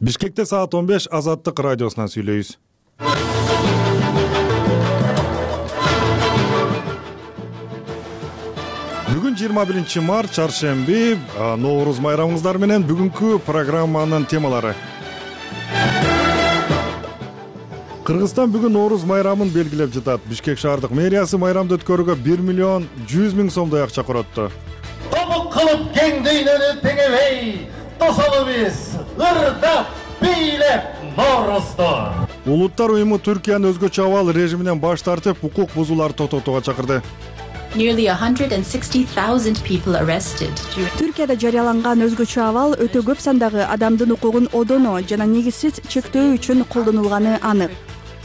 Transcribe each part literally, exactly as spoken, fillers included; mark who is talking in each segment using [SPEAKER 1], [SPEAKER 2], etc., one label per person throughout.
[SPEAKER 1] Бишкекте саат он беш Азаттык радиосунан сүйлөйбүз. Бүгүн жыйырма биринчи март чаршемби, Нооруз майрамыңыздар менен бүгүнкү программанын темалары. Кыргызстан бүгүн Нооруз майрамын белгилеп жатат. Бишкек шаардык мэриясы майрамды өткөрүүгө бир миллион жүз миң сомдой акча коротtu.
[SPEAKER 2] Тобук кылып кең дүйнөнү теңебей, тосолубуз, ырдап, бийлеп Ноорузду.
[SPEAKER 1] Улуттар уюму Түркиянын өзгөчө абал режиминен баш тартып, укук бузууларды токтотууга чакырды.
[SPEAKER 3] Nearly one hundred sixty thousand people arrested.
[SPEAKER 4] Түркияда жарыяланган өзгөчө абал өтө көп сандагы адамдын укугун одоно жана негизсиз чектөө үчүн колдонулганы анык.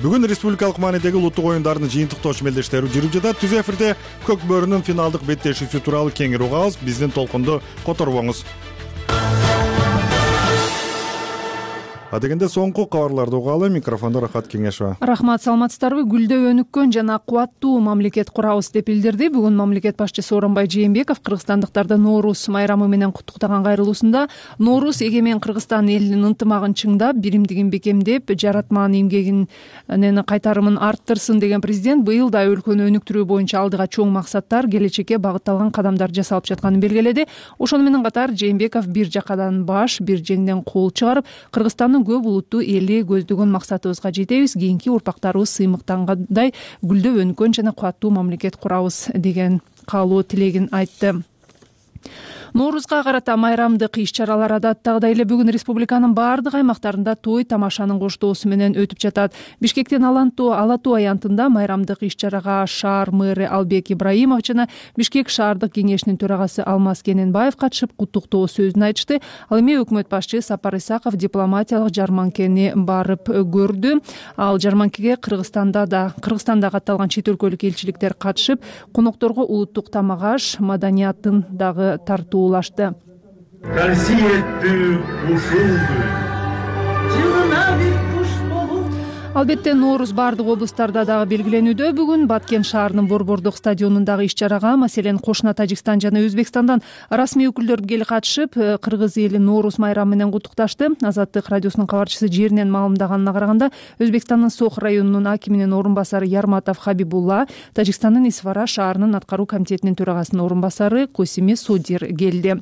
[SPEAKER 1] Бүгүн республикалык маанидеги улуттук оюндардын жыйынтыктоо чөмелдештери жүрүп жатат. Түз эфирде Көк бөрүнүн финалдык беттешүүсү тууралуу кеңири угабыз. Биздин толкунду которбоңуз. Адегенде соңку кабарларды угалы. Микрофондо Рахат Кеңешова.
[SPEAKER 5] Рахмат, саламатсыздарбы? Гүлдөө өнүккөн жана кубаттуу мамлекет курабыз деп билдирди. Бүгүн мамлекет башчысы Сооронбай Жээнбеков кыргызстандыктарды Нооруз майрамы менен куттуктаган кайрылуусунда Нооруз эгемен Кыргызстан элинин ынтымагын чыңдап, биримдигин бекемдеп, жаратман эмгегинин кайтарымын арттырсын деген президент быйыл да өлкөнү өнүктүрүү боюнча алдыга чоң максаттар, келечекке багытталган кадамдар жасалып жатканын белгиледи. Ошону менен катар Жээнбеков бир жакадан баш, бир жеңден кол чыгарып, Кыргызстандын көп улуттуу эли көздөгөн максатыбызга жетебиз, кийинки урпактарыбыз сыймыктангандай гүлдөө өнүккөн жана кубаттуу мамлекет курабыз деген каалоо тилегин айтты. Ноорузга карата майрамдык иш-чаралар адаттагыдай эле бүгүн республиканын баардык аймактарында той тамашанын коштоосу менен өтүп жатат. Бишкектин Алантуу Ала Тоо аянтында майрамдык иш-чарага шаар мэрі Албек Ибраимов жана Бишкек шаардык кеңешинин төрагасы Алмаз Кененбаев катышып куттуктоо сөзүн айтышты. Ал эми өкмөт башчы Сапар Исаков дипломатиялык жарманкени барып көрдү. Ал жарманкеге Кыргызстанда да Кыргызстанда катталган чет өлкөлүк элчиликтер катышып, конокторго улуттук тамак-аш маданиятын дагы тартуу улашты. Албетте Нооруз баардык облустарда дагы белгиленүүдө. Бүгүн Баткен шаарынын Борбордук стадионундагы иш-чарага, маселен, кошуна Тажикстан жана Өзбекстандан расмий өкүлдөр келип катышып, кыргыз эли Нооруз майрамы менен куттукташты. Азаттык радиосунун кабарчысы жеринен маалымдаганына караганда, Өзбекстандын Сох районунун акиминин орун басары Ярматов Хабибулла, Тажикстандын Исфара шаарынын аткаруу комитетинин төрагасынын орун басары Косиме Судир келди.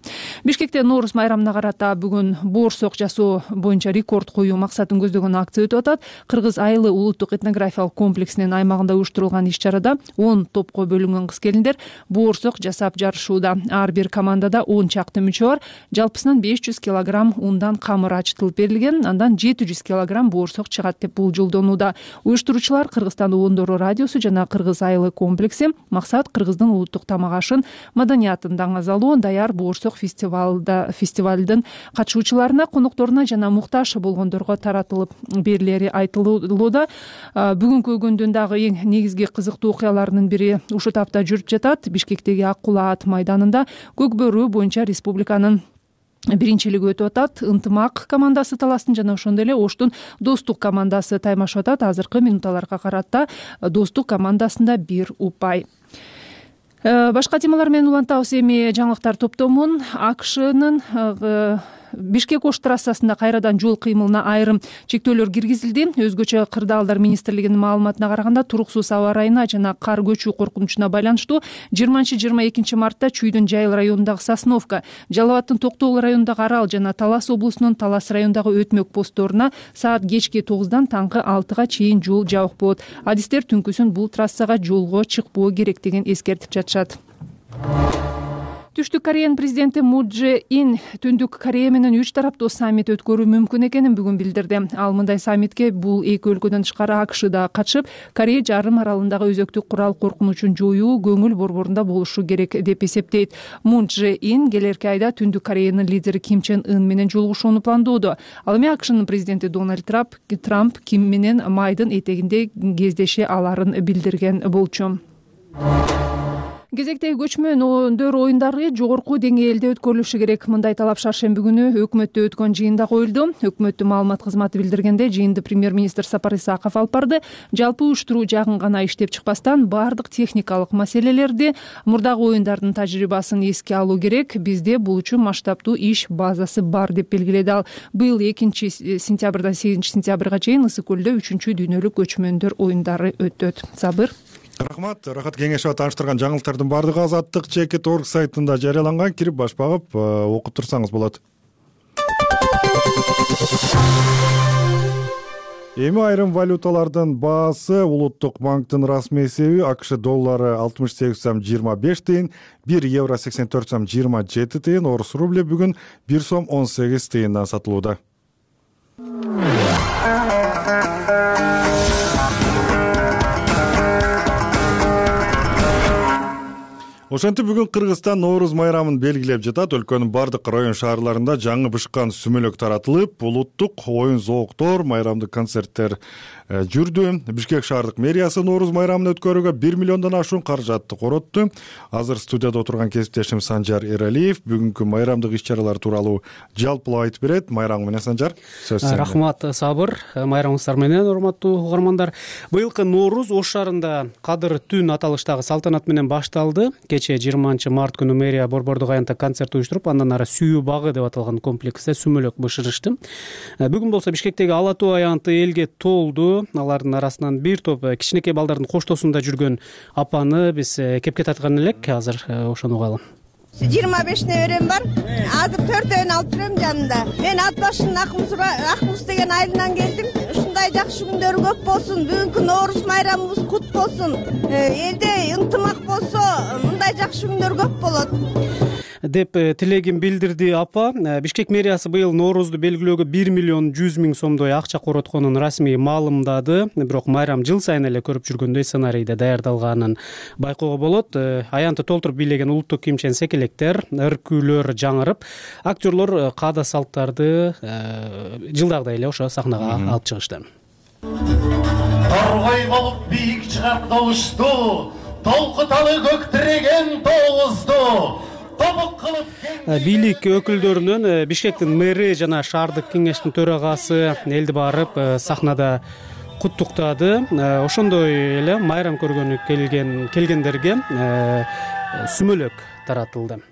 [SPEAKER 5] Бишкекте Нооруз майрамына карата бүгүн боорсок жасоо боюнча рекорд коюу максатын көздөгөн акция өтүп атат. Кыргыз Айылы улуттук этнографиялык комплексинин аймагында уюштурулган иш-чарада он топко бөлүнгөн кыз-келиндер боорсок жасап жарышууда. Ар бир командада он чакты мүчө бар. Жалпысынан беш жүз килограмм ундан камыр ачытылып берилген, андан жети жүз килограмм боорсок чыгат деп болжолдонууда. Уюштуруучулар Кыргызстан Уондору радиосу жана Кыргыз Айылы комплекси. Максат кыргыздын улуттук тамак-ашын, маданиятын даңазалоо, даяр боорсок фестивалда фестивалдын катышуучуларына, конокторуна жана муктаж болгондорго таратылып берилери айтылууда. Бүгүнкү күндүн дагы эң негизги кызыктуу окуяларынын бири ушул тапта жүрүп жатат. Бишкектеги Ак Кула ат майданында көк бөрү боюнча республиканын биринчилиги өтүп атат. Ынтымак командасы таласын жана ошондой эле Оштун Достук командасы таймашып атат. Азыркы минуталарга карата Достук командасында бир упай. Башка темалар менен улантабыз. Эми жаңылыктар топтомун АКШнын Бишкек Ош трассасында кайрадан жол кыймылына айрым чектөөлөр киргизилди. Өзгөчө кырдаалдар министрлигинин маалыматына караганда, туруксуз аба ырайына жана кар көчүү коркунучуна байланыштуу жыйырманчы жыйырма экинчи мартта Чүйдүн Жайыл районундагы Сосновка, Жалал абадтын Токтогул районундагы Арал жана Талас облусунун Талас районундагы Өтмөк постторуна саат кечки тогуздан таңкы алтыга чейин жол жабык болот. Адистер түнкүсүн бул трассага жолго чыкпоо керектигин эскертип жатышат. Түштүк Кореянын президенти Мун Чже Ин Түндүк Корея менен үч тараптуу саммит өткөрүү мүмкүн экенин бүгүн билдирди. Ал мындай саммитке бул эки өлкөдөн тышкары АКШ да катышып, Корея жарым аралындагы өзөктүк курал коркунучун жоюу көңүл борборунда болушу керек деп эсептейт. Мун Чже Ин келерки айда Түндүк Кореянын лидери Ким Чен Ын менен жолугушууну пландоодо. Ал эми АКШнын президенти Дональд Трамп Трамп Ким менен майдын этегинде кездеше аларын билдирген болчу. Кезектеги көчмөн өндөр оюндары жогорку деңгээлде өткөрүлүшү керек. Мындай талап шаршемби күнү өкмөттө өткөн жыйында коюлду. Өкмөттүн маалымат кызматы билдиргенде, жыйынды премьер-министр Сапар Исаков алып барды. Жалпы уюштуруу жагын гана иштеп чыкпастан, баардык техникалык маселелерди, мурдагы оюндардын тажрыйбасын эске алуу керек. Бизде бул үчүн масштабдуу иш базасы бар деп белгиледи ал. Быйыл экинчи сентябрдан сегизинчи сентябрга чейин Ысык көлдө үчүнчү дүйнөлүк көчмөндөр оюндары өтөт. Сабыр.
[SPEAKER 1] Рахмат. Рахат кеңешова тааныштырган жаңылыктардын баардыгы азаттык чекит точка орг сайтында жарыяланган. Кирип баш багып окуп турсаңыз болот. Эми айрым валюталардын баасы улуттук банктын расмий эсеби АКШ доллары алтымыш сегиз сом жыйырма беш тыйын, бир евро сексен төрт сом жыйырма жети тыйын, орус рубль бүгүн бир сом он сегиз тыйындан сатылууда. Ошентип бүгүн Кыргызстан Нооруз майрамын белгилеп жатат. Өлкөнүн бардык район шаарларында жаңы бышкан сүмөлөк таратылып, улуттук оюн зооктор, майрамдык концерттер жүрдү. Бишкек шаардык мэриясы Нооруз майрамын өткөрүүгө бир миллиондон ашуун каражатты коротту. Азыр студияда отурган кесиптешим Санжар Эралиев бүгүнкү майрамдык иш-чаралар тууралуу жалпылап айтып берет. Майрам менен Санжар, сөз сенде.
[SPEAKER 6] Рахмат, Сабыр. Майрамыңыздар менен, урматтуу угармандар. Быйылкы Нооруз Ош шаарында Кадыр түн аталыштагы салтанат менен башталды. Кечээ жыйырманчы март күнү мэрия борбордук аянтта концерт уюштуруп, андан ары Сүйүү багы деп аталган комплексте сүмөлөк бышырышты. Бүгүн болсо Бишкектеги Ала Тоо аянты элге толду. Алардын арасынан бир топ кичинекей балдардын коштоосунда жүргөн апаны биз кепке тарткан элек. Азыр ошону угалы.
[SPEAKER 7] жыйырма беш неберем бар. Азыр төртөөнү алып жүрөм жанында. Мен ат башынын Акмуз деген айылынан келдим. Ушундай жакшы күндөр көп болсун. Бүгүнкү Нооруз майрамыбыз кут болсун. Элде ынтымак болсо, мындай жакшы күндөр көп болот
[SPEAKER 6] деп тилегин билдирди апа. Бишкек мэриясы быйыл Ноорузду белгилөөгө бир миллион жүз миң сомдой акча коротконун расмий маалымдады. Бирок майрам жыл сайын эле көрүп жүргөндөй сценарийде даярдалганын байкоого болот. Аянты толтуруп бийлеген улуттук кийимчен секелектер, ыркүүлөр жаңырып, актерлор каада салттарды жылдагыдай эле ошо сахнага алып чыгышты.
[SPEAKER 2] Торгой болуп бийик чыгап добушту, толкуталы көк тиреген тоозду.
[SPEAKER 6] Бийлик өкүлдөрүнөн Бишкектин мэри жана шаардык кеңештин төрагасы элди барып сахнада куттуктады. Ошондой эле майрам көргөнү келген келгендерге сүмөлөк таратылды.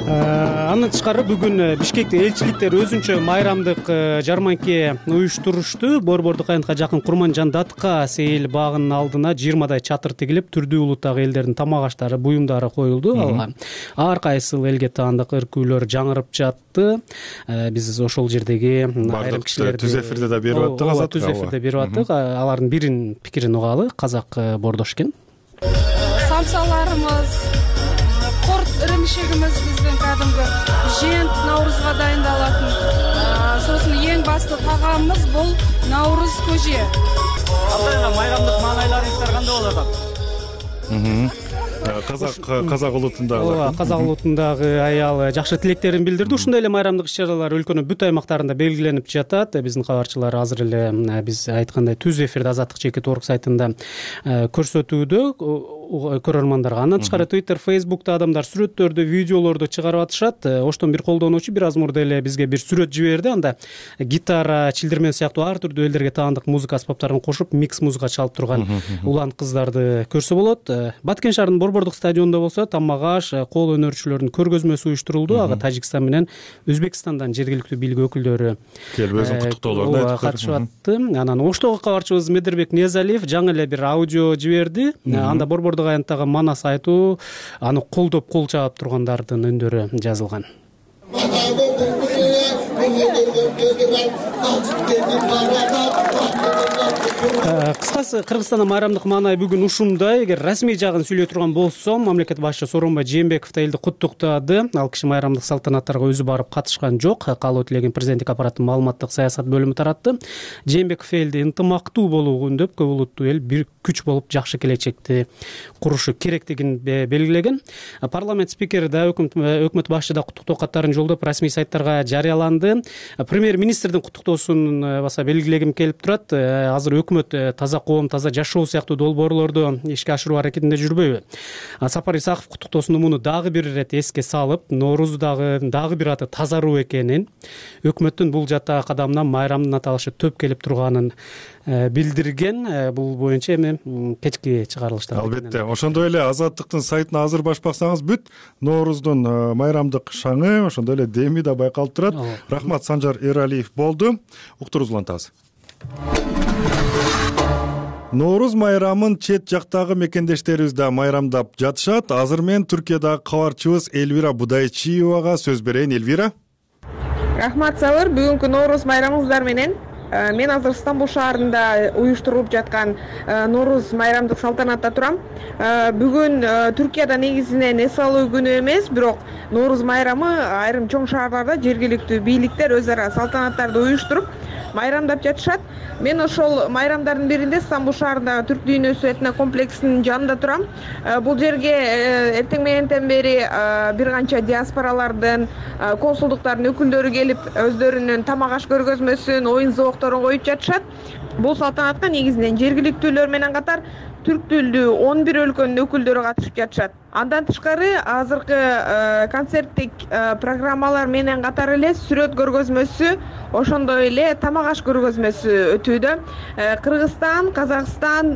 [SPEAKER 6] Андан тышкары бүгүн Бишкекте элчиликтер өзүнчө майрамдык жарманке уюштурушту. Борбордук аянтка жакын Курманжан Датка сейил багынын алдына жыйырмадай чатыр тигилип, түрдүү улуттагы элдердин тамак аштары, буюмдары коюлду. Алга ар кайсыл элге таандык ыркүүлөр жаңырып жатты. Биз ошол жердеги айрым кишилерди
[SPEAKER 1] түз эфирде да берип аттык.
[SPEAKER 6] Ооба, түз эфирде берип аттык. Алардын бирин пикирин угалы. Казак бордош экен.
[SPEAKER 8] Самсаларыбыз, корт ырымшегimiz биздин кадимги жент Наурузга дайындалатын. Сосын эң басты тагамыбыз бул Наурuz көже.
[SPEAKER 9] Ата майрамдык маанайларыңыздар кандай болот атат?
[SPEAKER 1] Казак казак улутундагы
[SPEAKER 6] Ооба, казак улутундагы аял жакшы тилектерин билдирди. Ушундай эле майрамдык иш-чаралар өлкөнүн бүт аймактарында белгиленип жатат. Биздин кабарчылар азыр эле биз айткандай түз эфирде азаттык чекит точка орг сайтында көрсөтүүдө көрөрмандарга. Андан тышкары Twitter, Facebook'та адамдар сүрөттөрдү, видеолорду чыгарып атышат. Оштон бир колдонуучу бир аз мурда эле бизге бир сүрөт жиберди. Анда гитара, чилдирмен сыяктуу ар түрдүү элдерге таандык музыка аспаптарын кошуп, микс музыка чалып турган улан кыздарды көрсө болот. Баткен шаарынын борбордук стадионунда болсо тамак аш, кол өнөрчүлөрдүн көргөзмөсү уюштурулду. Ага Тажикстан менен Өзбекстандан жергиликтүү бийлик өкүлдөрү
[SPEAKER 1] келип өзүнүн куттуктоолорун айтып
[SPEAKER 6] катышып атты. Анан Оштогу кабарчыбыз Медербек Незалиев жаңы эле бир аудио жиберди. Анда борбордук аянттагы манас айтуу, аны колдоп кол чаап тургандардын өндөрү жазылган. Кыскасы Кыргызстанда майрамдык маанай бүгүн ушундай. Эгер расмий жагын сүйлөй турган болсом, мамлекет башчысы Сооронбай Жээнбеков да элди куттуктады. Ал киши майрамдык салтанаттарга өзү барып катышкан жок. Каалоо тилеген президенттик аппараттын маалыматтык саясат бөлүмү таратты. Жээнбеков элди ынтымактуу болууга үндөп, көп улуттуу эл бир күч болуп жакшы келечекти курушу керектигин белгилеген. Парламент спикери да өкмөт башчы да куттуктоо каттарын жолдоп расмий сайттарга жарыяланды. Премьер-министрдин куттуктоосун баса белгилегим келип турат. Азыр өкмөт таза коом, таза жашоо сыяктуу долбоорлорду ишке ашыруу аракетинде жүрбөйбү? Сапар Исаков куттуктоосунда муну дагы бир ирет эске салып, Ноорузудагы дагы бир аты тазаруу экенин, өкмөттүн бул жаттагы кадамынан майрамдын аталышы төп келип турганын билдирген. Бул боюнча эми кечки чыгарылышта.
[SPEAKER 1] Албетте. Ошондой эле Азаттыктын сайтына азыр баш баксаңыз бүт Нооруздун майрамдык шаңы, ошондой эле деми да байкалып турат. Рахмат, Санжар Эралиев болду. Уктуруубузду улантабыз. Нооруз майрамын чет жактагы мекендештерибиз да майрамдап жатышат. Азыр мен Түркиядагы кабарчыбыз Элвира Будайчиевага сөз берейин. Элвира.
[SPEAKER 10] Рахмат, Сабыр. Бүгүнкү Нооруз майрамыңыздар менен мен азыр Стамбул шаарында уюштурулуп жаткан Нооруз майрамдык салтанатта турам. Бүгүн Түркияда негизинен эс алуу күнү эмес, бирок Нооруз майрамы айрым чоң шаарларда жергиликтүү бийликтер өз ара салтанаттарды уюштуруп майрамдап жатышат. Мен ошол майрамдардын биринде Стамбул шаарындагы Түрк дүйнөсү этно комплексинин жанында турам. Бул жерге эртең мененден бери бир канча диаспоралардын, консулдуктардын өкүлдөрү келип өздөрүнүн тамак аш көргөзмөсүн, оюн зоокторун коюп жатышат. Бул салтанатка негизинен жергиликтүүлөр менен катар түрк тилдүү он бир өлкөнүн өкүлдөрү катышып жатышат. Андан тышкары азыркы концерттик программалар менен катар эле сүрөт көргөзмөсү, ошондой эле тамак аш көргөзмөсү өтүүдө. Кыргызстан, Казакстан,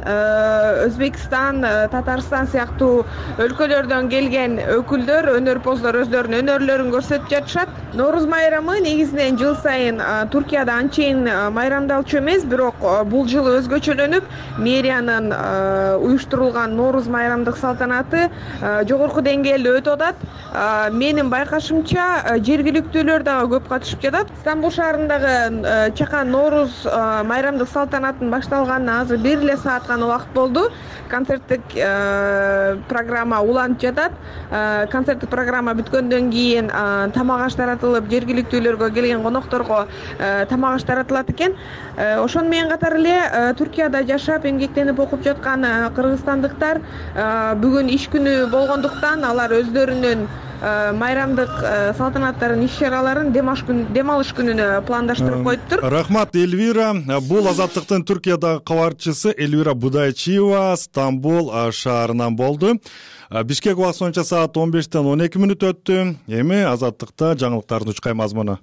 [SPEAKER 10] Өзбекстан, Татарстан сыяктуу өлкөлөрдөн келген өкүлдөр, өнөрпоздор өздөрүнүн өнөрлөрүн көрсөтүп жатышат. Нооруз майрамы негизинен жыл сайын Түркияда анчейин майрамдалчу эмес, бирок бул жылы өзгөчөлөнүп, мэриянын уюштурулган Нооруз майрамдык салтанаты жогорку деңгээлде өтүп атат. Менин байкашымча жергиликтүүлөр дагы көп катышып жатат. Стамбул шаарындагы чакан Нооруз майрамдык салтанаттын башталганына азыр бир эле саат гана убакыт болду. Концерттик программа уланып жатат. Концерттик программа бүткөндөн кийин тамак аш таратылып, жергиликтүүлөргө келген конокторго тамак аш таратылат экен. Ошону менен катар эле Түркияда жашап, эмгектенип окуп жаткан кыргызстандыктар бүгүн иш күнү болгондуктан алар өздөрүнүн майрамдык салтанаттарын, иш-чараларын дем алыш күнүнө пландаштырып коюптур.
[SPEAKER 1] Рахмат, Элвира. Бул Азаттыктын Түркиядагы кабарчысы Элвира Будайчиева Стамбул шаарынан болду. Бишкек убакыты боюнча саат он бештен он эки мүнөт өттү. Эми Азаттыкта жаңылыктардын учкай мазмуну.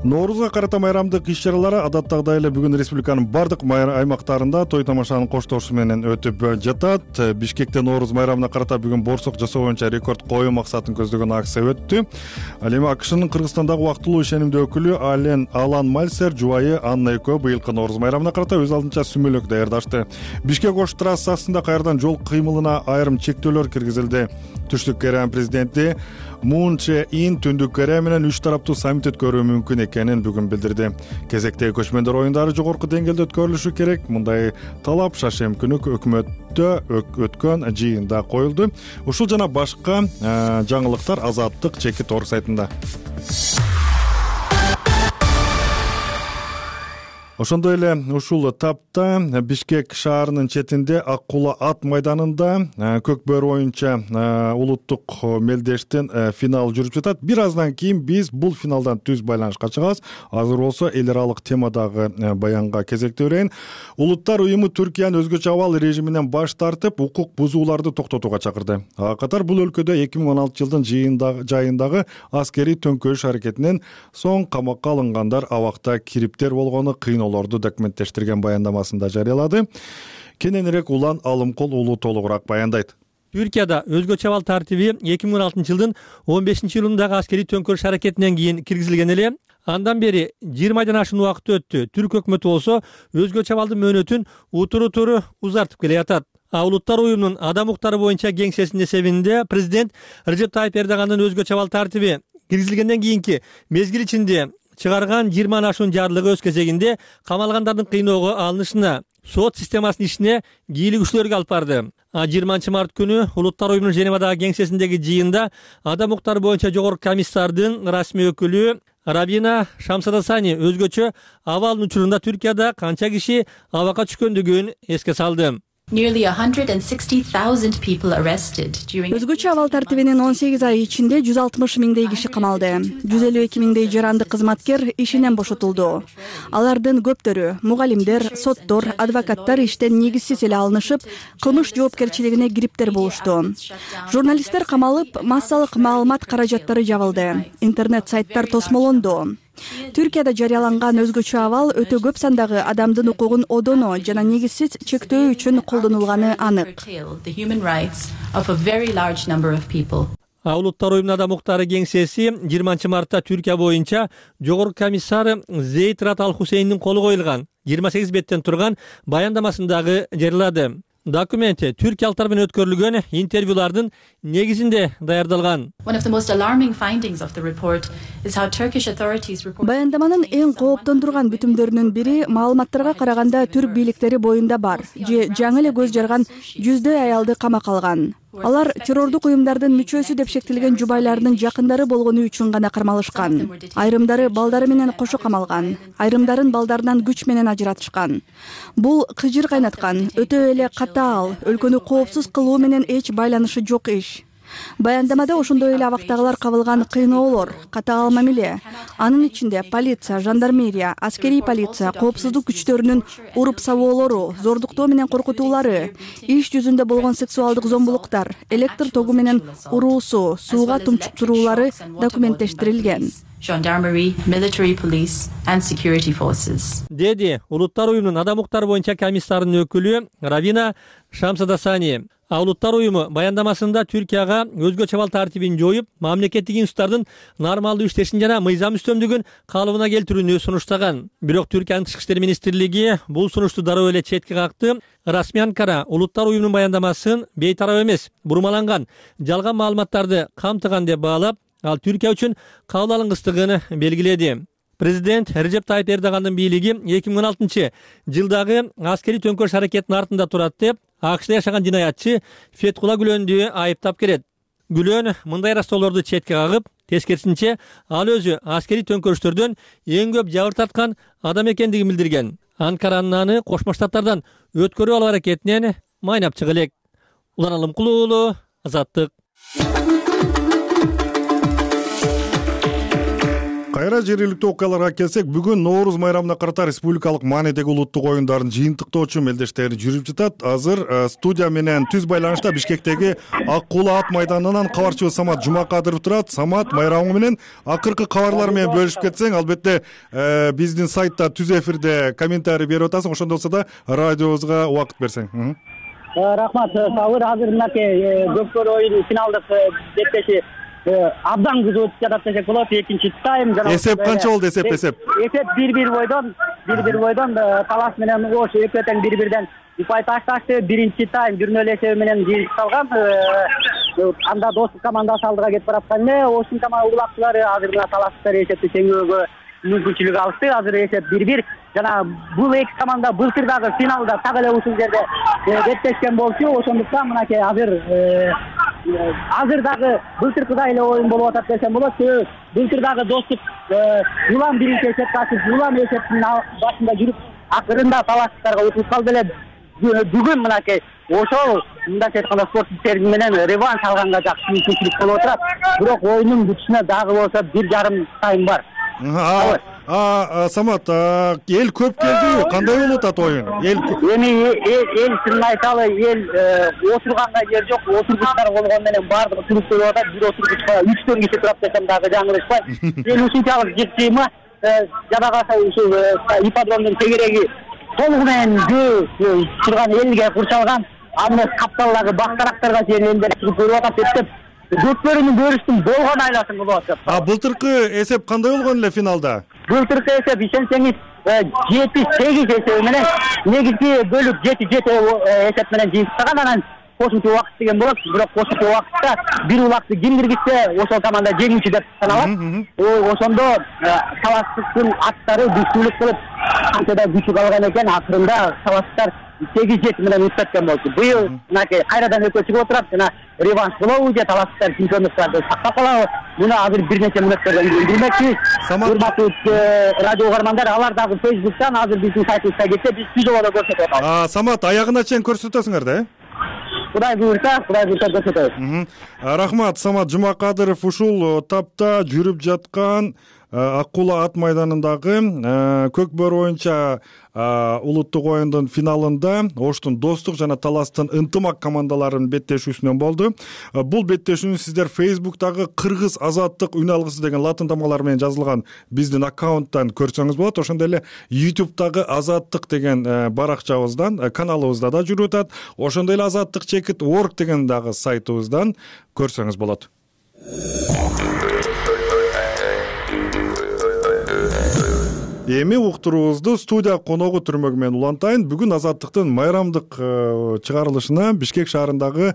[SPEAKER 1] Ноорузга карата майрамдык иш-чаралары адаттагыдай эле бүгүн республиканын бардык аймактарында той тамашанын коштошу менен өтүп жатат. Бишкекте Нооруз майрамына карата бүгүн борсок жасоо боюнча рекорд коюу максатын көздөгөн акция өттү. Ал эми АКШнын Кыргызстандагы убактылуу ишенимдүү өкүлү Ален Алан Мальсер жубайы Анна экөө быйылкы Нооруз майрамына карата өз алдынча сүмөлөк даярдашты. Бишкек-Ош трассасында кайрадан жол кыймылына айрым чектөөлөр киргизилди. Түштүк Корея президенти Мун Чже Ин Түндүк Корея менен үч тараптуу саммит өткөрүү мүмкүн экенин бүгүн билдирди. Кезектеги көчмөндөр оюндары жогорку деңгээлде өткөрүлүшү керек. Мындай талап шашем күнү өкмөттө өткөн жыйында коюлду. Ушул жана башка жаңылыктар Азаттык жеке торг сайтында. Ошондой эле ушул тапта Бишкек шаарынын четинде Ак Кула ат майданында көк бөрү боюнча улуттук мелдештин финал жүрүп жатат. Бир аздан кийин биз бул финалдан түз байланышка чыгабыз. Азыр болсо эл аралык темадагы баянга кезектей берейин. Улуттар уюму Түркиянын өзгөчө абал режиминен баш тартып, укук бузууларды токтотууга чакырды. Ага катар бул өлкөдө эки миң он алтынчы жылдын жайындагы аскерий төңкөрүш аракетинен соң камакка алынгандар абакта кириптер болгону кыйын олорду документтештирген баяндамасында жарыялады. Кененирээк Улан Алымкул уулу толугураак баяндайт.
[SPEAKER 11] Түркияда өзгөчө абал тартиби эки миң он алтынчы жылдын он бешинчи июлундагы аскерий төңкөрүш аракетинен кийин киргизилген эле. Андан бери жыйырма айдан ашуун убакыт өттү. Түрк өкмөтү болсо өзгөчө абалдын мөөнөтүн утуру туру узартып келе жатат. Улуттар уюмунун адам укуктары боюнча кеңсесинин эсебинде президент Режеп Тайып Эрдогандын өзгөчө абал тартиби киргизилгенден кийинки мезгил ичинде чыгарган жыйырма ашуун жарлыгы өз кезегинде камалгандардын кыйноого алынышына, сот системасынын ишине кийлигүүчүлөргө алып барды. жыйырманчы март күнү Улуттар уюмунун Женевадагы кеңсесиндеги жыйында адам укуктары боюнча жогорку комиссардын расмий өкүлү Равина Шамсадасани өзгөчө абалдын учурунда Түркияда канча киши абакка түшкөндүгүн эске салды.
[SPEAKER 3] Nearly one hundred sixty thousand people arrested during
[SPEAKER 4] Өзгөчө абал тартибинин он сегиз ай ичинде жүз алтымыш миңдей киши камалды. жүз элүү эки миңдей жарандык кызматкер ишинен бошотулду. Алардын көптөрү мугалимдер, соттор, адвокаттар иштен негизсиз эле алынышып, кылмыш жоопкерчилигине кириптер болушту. Журналисттер камалып, массалык маалымат каражаттары жабылды. Интернет сайттар тосмолонду. Түркияда жарыяланган өзгөчө абал өтө көп сандагы адамдын укугун одоно жана негизсиз чектөө үчүн колдонулганы анык.
[SPEAKER 11] Улуттар уюмунун адам укуктары кеңсеси жыйырманчы мартта Түркия боюнча жогорку комиссар Зейд Рат Ал Хусейндин колу коюлган жыйырма сегиз беттен турган баяндамасын дагы жарыялады. Документ түркиялыктар менен өткөрүлгөн интервьюлардын негизинде даярдалган.
[SPEAKER 4] Баяндаманын эң кооптондурган бүтүмдөрүнүн бири маалыматтарга караганда түрк бийликтери боюнда бар же жаңы эле көз жарган жүздөй аялды камакка алган. Алар террордук уюмдардын мүчөсү деп шектелген жубайларынын жакындары болгону үчүн гана кармалышкан. Айрымдары балдары менен кошо камалган, айрымдарын балдарынан күч менен ажыратышкан. Бул кыжыр кайнаткан, өтө эле катаал, өлкөнү коопсуз кылуу менен эч байланышы жок иш. Баяндамада ошондой эле абактагылар кабылган кыйноолор, катаал мамиле, анын ичинде полиция, жандармерия, аскерий полиция, коопсуздук күчтөрүнүн уруп сабоолору, зордуктоо менен коркутуулары, иш жүзүндө болгон сексуалдык зомбулуктар, электр тогу менен уруусу, сууга тумчуктуруулары документтештирилген.
[SPEAKER 3] Gendarmerie, military police and security forces.
[SPEAKER 11] Деди Улуттар уюмунун адам укуктары боюнча комиссарынын өкүлү Равина Шамсадасани. Улуттар уюму баяндамасында Түркияга өзгөчө абал тартибин жоюп, мамлекеттик институттардын нормалдуу иштешин жана мыйзам үстөмдүгүн калыбына келтирүүнү сунуштаган. Бирок Түркиянын тышкы иштер министрлиги бул сунушту дароо эле четке какты. Расмий Анкара Улуттар уюмунун баяндамасын бейтарап эмес, бурмаланган, жалган маалыматтарды камтыган деп баалап, ал Түркия үчүн кабыл алынгыстыгын белгиледи. Президент Режеп Тайып Эрдогандын бийлиги эки миң он алтынчы жылдагы аскерий төңкөрүш аракетинин артында турат деп АКШда жашаган жинаятчы Фетхула Гүлөндү айыптап келет. Гүлөн мындай растоолорду четке кагып, тескерисинче ал өзү аскерий төңкөрүштөрдөн эң көп жабыр тарткан адам экендигин билдирген. Анкаранын аны Кошмо Штаттардан өткөрүп алуу аракетинен майнап чыга элек. Улан Алымкулуу уулу, Азаттык.
[SPEAKER 1] Кайра жергиликтүү окуяларга келсек, бүгүн Нооруз майрамына карата республикалык маанидеги улуттук оюндарын жыйынтыктоочу мелдештери жүрүп жатат. Азыр студия менен түз байланышта Бишкектеги Ак Кулаа ат майданынан кабарчыбыз Самат Жумакадыров турат. Самат, майрамы менен акыркы кабарлар менен бөлүшүп кетсең, албетте биздин сайтта түз эфирде комментарий берип атасың, ошондо болсо да радиобузга убакыт берсең.
[SPEAKER 12] Рахмат, Сабыр. Азыр мынакей көпкөр оюнун финалдык беттеши абдан кызуу өтүп жатат десек болот. Экинчи тайм жана
[SPEAKER 1] эсеп канча болду? Эсеп эсеп
[SPEAKER 12] эсеп бир бир бойдон бир бир бойдон талас менен Ош экөө тең бир бирден упай ташташты. Биринчи тайм жүрмө эле эсеби менен жыйынтыкталган. Анда достук командасы алдыга кетип бараткан эле. Оштун улакчылары азыр мына талаштар эсепти теңөөгө мүмкүнчүлүк алышты. Азыр эсеп бир бир. Жана бул эки команда былтыр дагы финалда так эле ушул жерде беттешкен болчу. Ошондуктан мынакей азыр азыр дагы былтыркыдай эле оюн болуп атат десем болот. Былтыр дагы достук Улан биринчи эсепти ачып, Улан эсептин башында жүрүп, акырында талаштарга утулуп калды эле. Бүгүн мынакей ошол мындайча айтканда спорттук менен реванш алганга жакшы мүмкүнчүлүк болуп атат. Бирок оюндун бүтүшүнө дагы болсо бир жарым тайм бар.
[SPEAKER 1] Самат, эл көп келдиби? Кандай болуп атат оюн?
[SPEAKER 12] Эми эл чынын айталы, эл отурганга жер жок, отургучтар болгон менен баардыгы туруп болуп атат. Бир отургучка үчтөн киши турат десем дагы жаңылышпай. Эл ушунчалык жыйма, жада калса ушул ипподромдун тегереги толугу менен жөө турган элге курчалган. Аны капталдагы бактарактарга чейин элдер чыгып көрүп атат деп көпөрүнүн көрүштүн болгон айласын болуп атат.
[SPEAKER 1] А былтыркы эсеп кандай болгон эле финалда?
[SPEAKER 12] Былтыркы эсеп ишенсеңиз жети сегиз эсеби менен негизги бөлүк жети жети эсеп менен жыйынтыктаган. Анан кошумча убакыт деген болот. Бирок кошумча убакытта бир улакты ким киргизсе, ошол команда жеңүүчү деп саналат. Ошондо талаштыктын аттары дүшкүлүк кылып канчада күчү калган экен, акырында талаштар сегиз жети менен утуп кеткен болчу. Быйыл мынакей кайрадан экөө чыгып отурат, жана реванш кылабы же талаштар чемпиондуктарды сактап калабы? Муну азыр бир нече мүнөттөрдөн кийин билмекчибиз. Урматтуу радио угармандар, алар дагы Facebook'тан азыр биздин сайтыбызга кетсе, биз видеодо көрсөтүп атабыз.
[SPEAKER 1] А, Самат, аягына чейин көрсөтөсүңөр да, э?
[SPEAKER 12] Кудай буйрса, Кудай буйрса көрсөтөбүз.
[SPEAKER 1] Рахмат, Самат Жумакадыров ушул тапта жүрүп жаткан Ак кула ат майданындагы көк бөрү боюнча улуттук оюндун финалында Оштун Достук жана Таластын Ынтымак командаларынын беттешүүсүнөн болду. Бул беттешүүнү сиздер Facebook'тагы Кыргыз азаттык үн алгысы деген латын тамгалары менен жазылган биздин аккаунттан көрсөңүз болот. Ошондой эле YouTube'тагы азаттык деген баракчабыздан, каналыбызда да жүрүп атат. Ошондой эле азаттык чекит орг деген дагы сайтыбыздан көрсөңүз болот. Эми уктуруубузду студия коногу Түрмөгү менен улантайын. Бүгүн азаттыктын майрамдык чыгарылышына Бишкек шаарындагы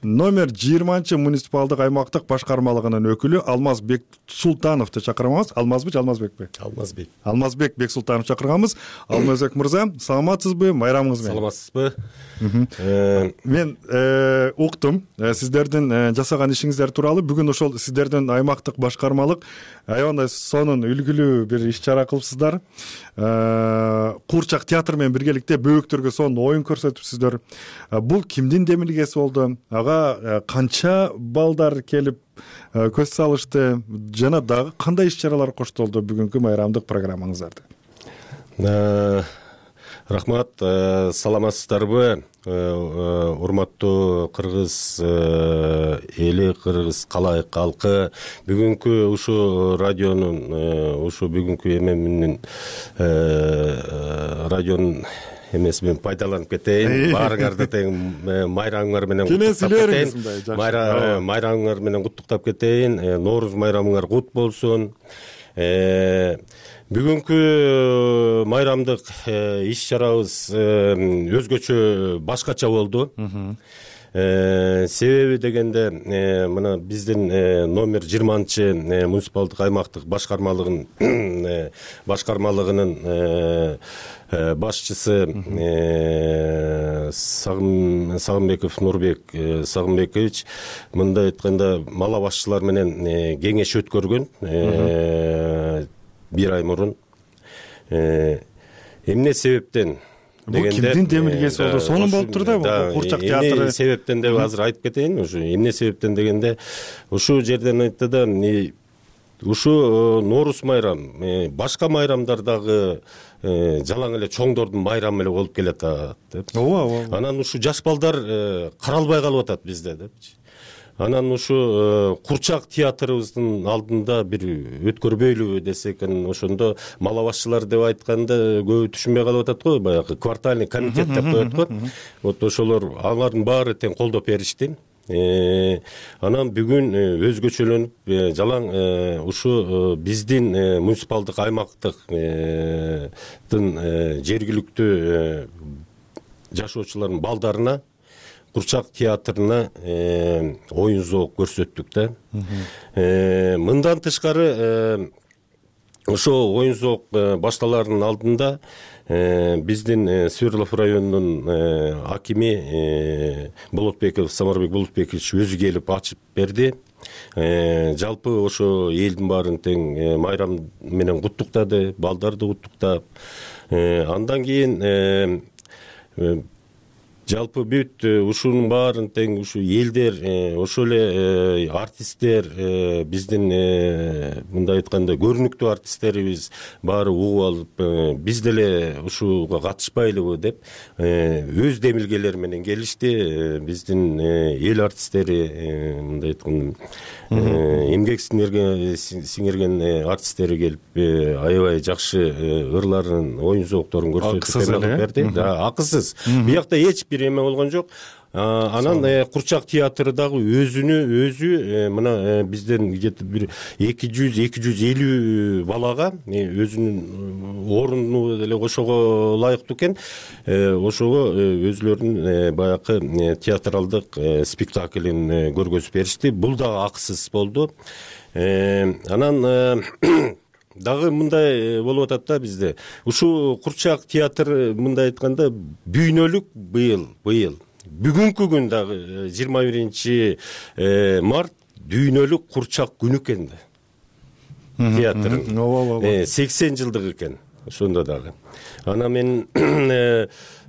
[SPEAKER 1] номер жыйырманчы муниципалдык аймактык башкармалыгынын өкүлү Алмазбек Султановду чакырганбыз. Алмазбек, Алмазбекпи?
[SPEAKER 13] Алмазбек.
[SPEAKER 1] Алмазбек Бексултанов чакырганбыз. Алмазбек мырза, саламатсызбы? Майрамыңыз менен.
[SPEAKER 13] Саламатсызбы?
[SPEAKER 1] Мен уктум сиздердин жасаган ишиңиздер тууралуу. Бүгүн ошол сиздердин аймактык башкармалык аябандай сонун үлгүлүү бир иш чара кылыпсыздар. Куурчак театр менен биргеликте бөбөктөргө сонун оюн көрсөтүпсүздөр. Бул кимдин демилгеси болду? Ага канча балдар келип көз салышты жана дагы кандай иш чаралар коштолду бүгүнкү майрамдык программаңыздарда?
[SPEAKER 13] Рахмат, саламатсыздарбы? Урматтуу кыргыз эли, кыргыз калайык калкы, бүгүнкү ушу радионун, ушу бүгүнкү эменин радионун эмесин пайдаланып кетейин. Баарыңарды тең майрамыңар менен куттуктап кетейин. Майрамыңар менен куттуктап кетейин. Нооруз майрамыңар кут болсун. Бүгүнкү майрамдык иш чарабыз өзгөчө башкача болду. Себеби дегенде мына биздин номер жыйырманчы муниципалдык аймактык башкармалыгынын башкармалыгынын башчысы Сагынбеков Нурбек Сагынбекович мындай айтканда мала башчылар менен кеңеш өткөргөн бир ай мурун. Эмне себептен
[SPEAKER 1] дегенде кимдин демилгеси болду? Сонун болуп тур да Куурчак театры.
[SPEAKER 13] Эмне себептен деп азыр айтып кетейин. Ушу эмне себептен дегенде ушу жерден айтты да ушу Нооруз майрам башка майрамдардагы жалаң эле чоңдордун майрамы эле болуп келатат деп.
[SPEAKER 1] Ооба, ооба.
[SPEAKER 13] Анан ушу жаш балдар каралбай калып атат бизде депчи. Анан ушу Куурчак театрыбыздын алдында бир өткөрбөйлүбү десек, ошондо мала башчылар деп айтканда көбү түшүнбөй калып атат го, баягы квартальный комитет деп коет го. Вот ошолор алардын баары тең колдоп беришти. Анан бүгүн өзгөчөлөнүп жалаң ушу биздин муниципалдык аймактыктын жергиликтүү жашоочулардын балдарына Куурчак театрына оюн зоок көрсөттүк да. Мындан тышкары ошо оюн зоок башталарынын алдында биздин Свердлов районунун акими Болотбеков Самарбек Болотбекович өзү келип ачып берди. Жалпы ошо элдин баарын тең майрам менен куттуктады, балдарды куттуктап. Андан кийин жалпы бүт ушунун баарын тең ушу элдер, ошол эле артисттер, биздин мындай айтканда көрүнүктүү артисттерибиз баары угуп алып, биз деле ушуга катышпайлыбы деп өз демилгелери менен келишти. Биздин эл артисттери, мындай айтканда эмгек сиңирген артисттери келип аябай жакшы ырларын, оюн зоокторун көрсөтүп берди. Акысыз. Биякта эч бир эме болгон жок. Анан Куурчак театры дагы өзүнү өзү мына бизден где-то бир эки жүз эки жүз элүү балага өзүнүн орунду деле кошого ылайыктуу экен. Ошого өзүлөрүнүн баягы театралдык спектаклин көргөзүп беришти. Бул дагы акысыз болду. Анан дагы мындай болуп атат да бизде. Ушул курчак театр мындай айтканда бүйнөлүк быйыл быйыл бүгүнкү күн дагы жыйырма биринчи март дүйнөлүк курчак күнү экен да. Театрдын ооба сексен жылдык экен ошондо дагы. Анан мен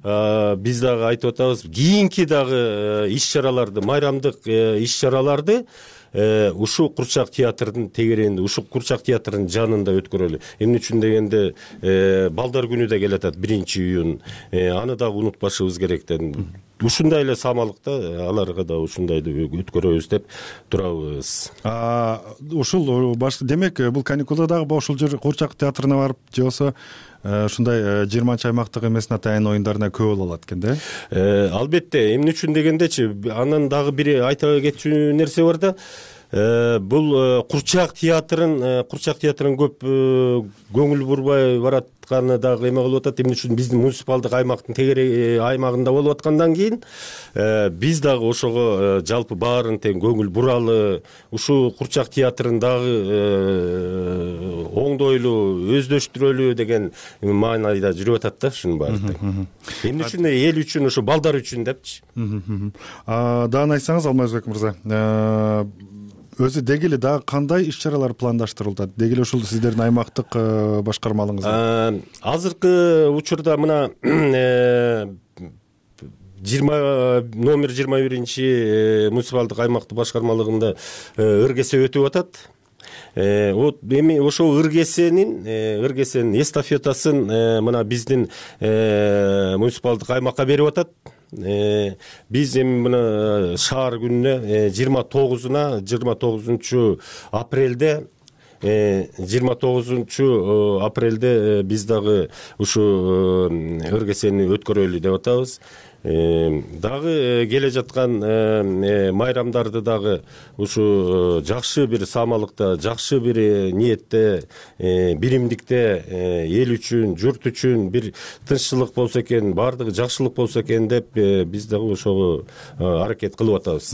[SPEAKER 13] биз дагы айтып атабыз, кийинки дагы иш-чараларды, майрамдык иш-чараларды ушул курчак театрдын тегерегинде, ушул курчак театрдын жанында өткөрөлү. Эмне үчүн дегенде балдар күнү да келатат, биринчи июнь. Аны дагы унутпашыбыз керек да. Ушундай эле самалыкта аларга да ушундайды өткөрөбүз деп турабыз.
[SPEAKER 1] Ушул башка демек бул каникулда дагы ушул жер курчак театрына барып, же болсо ушундай жыйырманчы аймактык эмес атайын оюндарына көп боло алат экен да.
[SPEAKER 13] Албетте, эмне үчүн дегендечи, анан дагы бир айта кетчү нерсе бар да. Бул курчак театрын, курчак театрын көп көңүл бурбай баратканы дагы эме кылып атат. Эмне үчүн биздин муниципалдык аймактын тегерек аймагында болуп аткандан кийин биз дагы ошого жалпы баарын тең көңүл буралы, ушул курчак театрын дагы оңдойлуу, өздөштүрөлү деген маанайда жүрүп атат да ушунун баары тең. Эмне үчүн эл үчүн, ушу балдар үчүн депчи.
[SPEAKER 1] Дагы айтсаңыз Алмазбек мырза, өзү деги эле дагы кандай иш-чаралар пландаштырылат? Деги эле ушул сиздердин аймактык башкармалыгыңызда?
[SPEAKER 13] Азыркы учурда мына номер жыйырма биринчи муниципалдык аймактык башкармалыгында ыргесе өтүп атат. Эми ошол ыргесенин ыргесенин эстафетасын мына биздин муниципалдык аймакка берип атат. Биз эми мына шаар күнүнө жыйырма тогузуна жыйырма тогузунчу апрелде жыйырма тогузунчу апрелде биз дагы ушу ыргесени өткөрөлү деп атабыз. Дагы келе жаткан майрамдарды дагы ушу жакшы бир самалыкта, жакшы бир ниетте, биримдикте, эл үчүн, журт үчүн бир тынччылык болсо экен, баардыгы жакшылык болсо экен деп биз дагы ошого аракет кылып атабыз.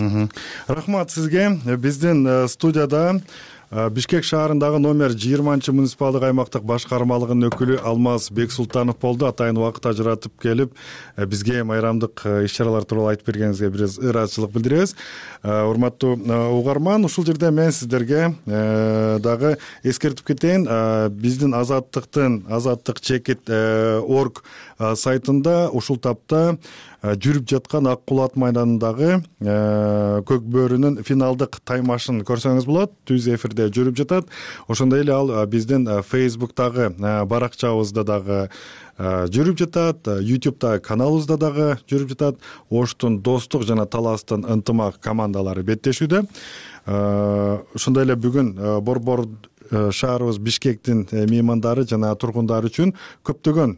[SPEAKER 1] Рахмат сизге. Биздин студияда Бишкек шаарындагы номер жыйырманчы муниципалдык аймактык башкармалыгынын өкүлү Алмаз Бексултанов болду. Атайын убакыт ажыратып келип, бизге майрамдык иш-чаралар тууралуу айтып бергениңизге бир ыраазычылык билдиребиз. Урматтуу угарман, ушул жерде мен сиздерге дагы эскертип кетейин. Биздин Азаттыктын азаттык чекит орг сайтында ушул тапта жүрүп жаткан Ак Кулат майданындагы көк бөөрүнүн финалдык таймашын көрсөңүз болот. Түз эфирде жүрүп жатат. Ошондой эле ал биздин Facebook'тагы баракчабызда дагы жүрүп жатат, YouTube'да каналыбызда дагы жүрүп жатат. Оштун достук жана таластын ынтымак командалары беттешүүдө. Ошондой эле бүгүн Борбор шаарыбыз Бишкектин меймандары жана тургундары үчүн көптөгөн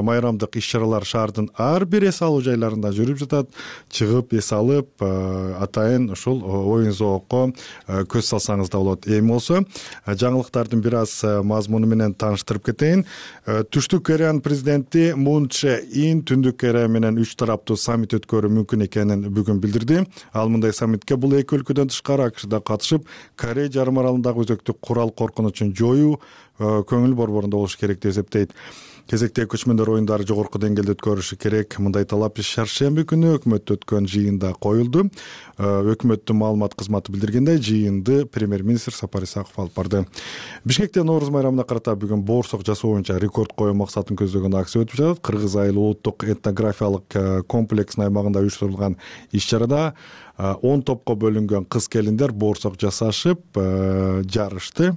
[SPEAKER 1] майрамдык иш-чаралар шаардын ар бир эс алуу жайларында жүрүп жатат. Чыгып эс алып, атайын ушул оюн зоокко көз салсаңыз да болот. Эми болсо жаңылыктардын бир аз мазмуну менен тааныштырып кетейин. Түштүк Кореянын президенти Мун Чже Ин Түндүк Корея менен үч тараптуу саммит өткөрүү мүмкүн экенин бүгүн билдирди. Ал мындай саммитке бул эки өлкөдөн тышкары АКШда катышып, Корея жарым аралындагы өзөктүк курал коркунучун жоюу көңүл борборунда болуш керек деп эсептейт. Кезектеги көчмөндөр оюндары жогорку деңгээлде өткөрүлүшү керек. Мындай талап шаршемби күнү өкмөттө өткөн жыйында коюлду. Өкмөттүн маалымат кызматы билдиргендей, жыйынды премьер-министр Сапар Исаков алып барды. Бишкекте Нооруз майрамына карата бүгүн боорсок жасоо боюнча рекорд коюу максатын көздөгөн акция өтүп жатат. Кыргыз айыл улуттук этнографиялык комплекстин аймагында уюштурулган иш-чарада он топко бөлүнгөн кыз-келиндер боорсок жасашып жарышты.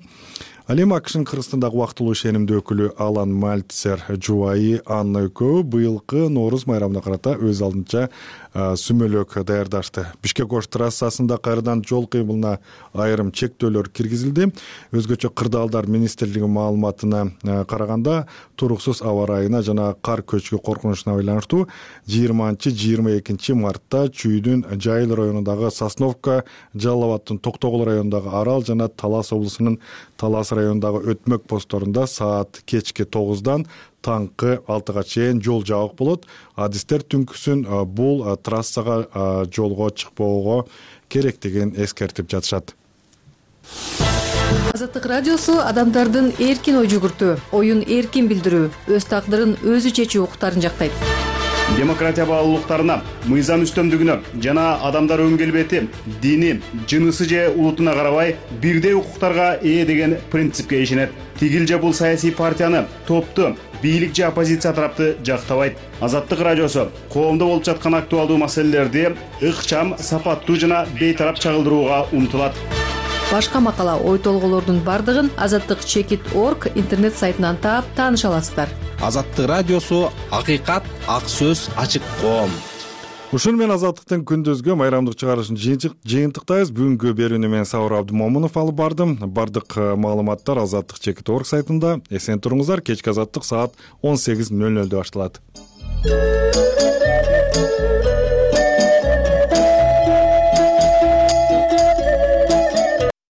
[SPEAKER 1] Ал эми АКШнын Кыргызстандагы убактылуу ишенимдүү өкүлү Алан Мальцер жубайы Анна экөө быйылкы Нооруз майрамына карата өз алдынча сүмөлөк даярдашты. Бишкек-Ош трассасында кайрадан жол кыймылына айрым чектөөлөр киргизилди. Өзгөчө кырдаалдар министрлиги маалыматына караганда, туруксуз аба ырайына жана кар көчкү коркунучуна байланыштуу жыйырманчы жыйырма экинчи мартта Чүйдүн Жайыл районундагы Сосновка, Жалал абаддын Токтогул районундагы Арал жана Талас облусунун Талас районундагы өтмөк посторунда саат кечки тогуздан таңкы алтыга чейин жол жабык болот. Адистер түнкүсүн бул трассага жолго чыкпоого керектигин эскертип жатышат.
[SPEAKER 14] Азаттык радиосу адамдардын эркин ой жүгүртүү, оюн эркин билдирүү, өз тагдырын өзү чечүү укуктарын жактайт.
[SPEAKER 15] Демократия баалуулуктарына, мыйзам үстөмдүгүнө жана адамдар өң келбети, дини, жынысы же улутуна карабай бирдей укуктарга ээ деген принципке ишенет. Тигил же бул саясий партияны, топту, бийлик же оппозиция тарапты жактабайт. Азаттык радиосу коомдо болуп жаткан актуалдуу маселелерди ыкчам, сапаттуу жана бейтарап чагылдырууга умтулат.
[SPEAKER 14] Башка макала, ой толголордун бардыгын азаттык чекит точка орг интернет сайтынан таап тааныша аласыздар.
[SPEAKER 16] Азаттык радиосу акыйкат, ак сөз, ачык коом.
[SPEAKER 1] Ушун менен Азаттыктын күндүзгү майрамдык чыгарышын жыйынтыктайбыз. Бүгүнкү берүүнү мен Сабыр Абдымомунов алып бардым. Бардык маалыматтар азаттык чекит точка орг сайтында. Эсен туруңуздар. Кечки Азаттык саат он сегиз нөл нөлдө башталат.